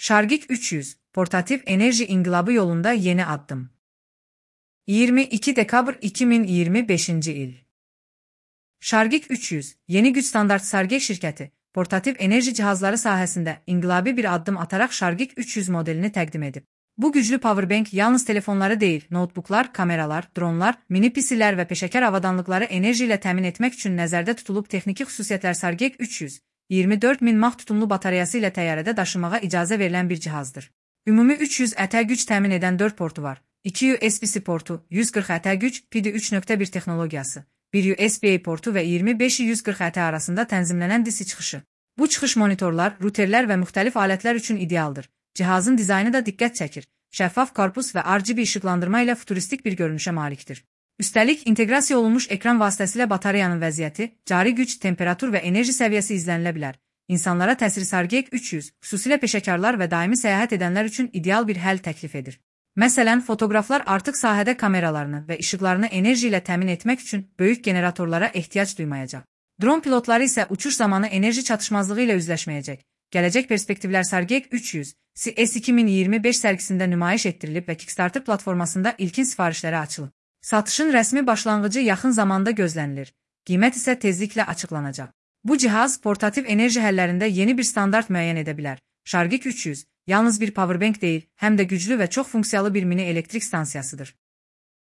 Shargik 300, portatif enerji inqilabı yolunda yeni addım. 22 dekabr 2025 il. Shargik 300, yeni güc standart Shargik şirkəti, portatif enerji cihazları sahəsində inqilabi bir addım ataraq Shargik 300 modelini təqdim edib. Bu güclü powerbank yalnız telefonları deyil, notebooklar, kameralar, dronlar, mini PC-lər və peşəkar avadanlıqları enerji ilə təmin etmək üçün nəzərdə tutulub texniki xüsusiyyətlər Shargik 300, 24.000 mAh tutumlu batareyası ilə təyyarədə daşımağa icazə verilən bir cihazdır. Ümumi 300 ətə güc təmin edən 4 portu var. 2 USB-C portu, 140 ətə güc, PID 3.1 texnologiyası, 1 USB-A portu və 25-140 ətə arasında tənzimlənən DC çıxışı. Bu çıxış monitorlar, ruterlər və müxtəlif alətlər üçün idealdır. Cihazın dizaynı da diqqət çəkir. Şəffaf korpus və RGB işıqlandırma ilə futuristik bir görünüşə malikdir. Üstəlik, inteqrasiya olunmuş ekran vasitəsilə batareyanın vəziyyəti, cari güc, temperatur və enerji səviyyəsi izlənilə bilər. İnsanlara təsiri Shargik 300, xüsusilə peşəkarlar və daimi səyahət edənlər üçün ideal bir həll təklif edir. Məsələn, fotoqraflar artıq sahədə kameralarını və işıqlarını enerji ilə təmin etmək üçün böyük generatorlara ehtiyac duymayacaq. Dron pilotları isə uçuş zamanı enerji çatışmazlığı ilə üzləşməyəcək. Gələcək perspektivlər Shargik 300, CES 2025 sərgisində nümayiş etdirilib və Kickstarter platformasında ilkin sifarişlərə açılıb. Satışın rəsmi başlanğıcı yaxın zamanda gözlənilir. Qiymət isə tezliklə açıqlanacaq. Bu cihaz portativ enerji həllərində yeni bir standart müəyyən edə bilər. Shargik 300 yalnız bir powerbank deyil, həm də güclü və çox funksiyalı bir mini elektrik stansiyasıdır.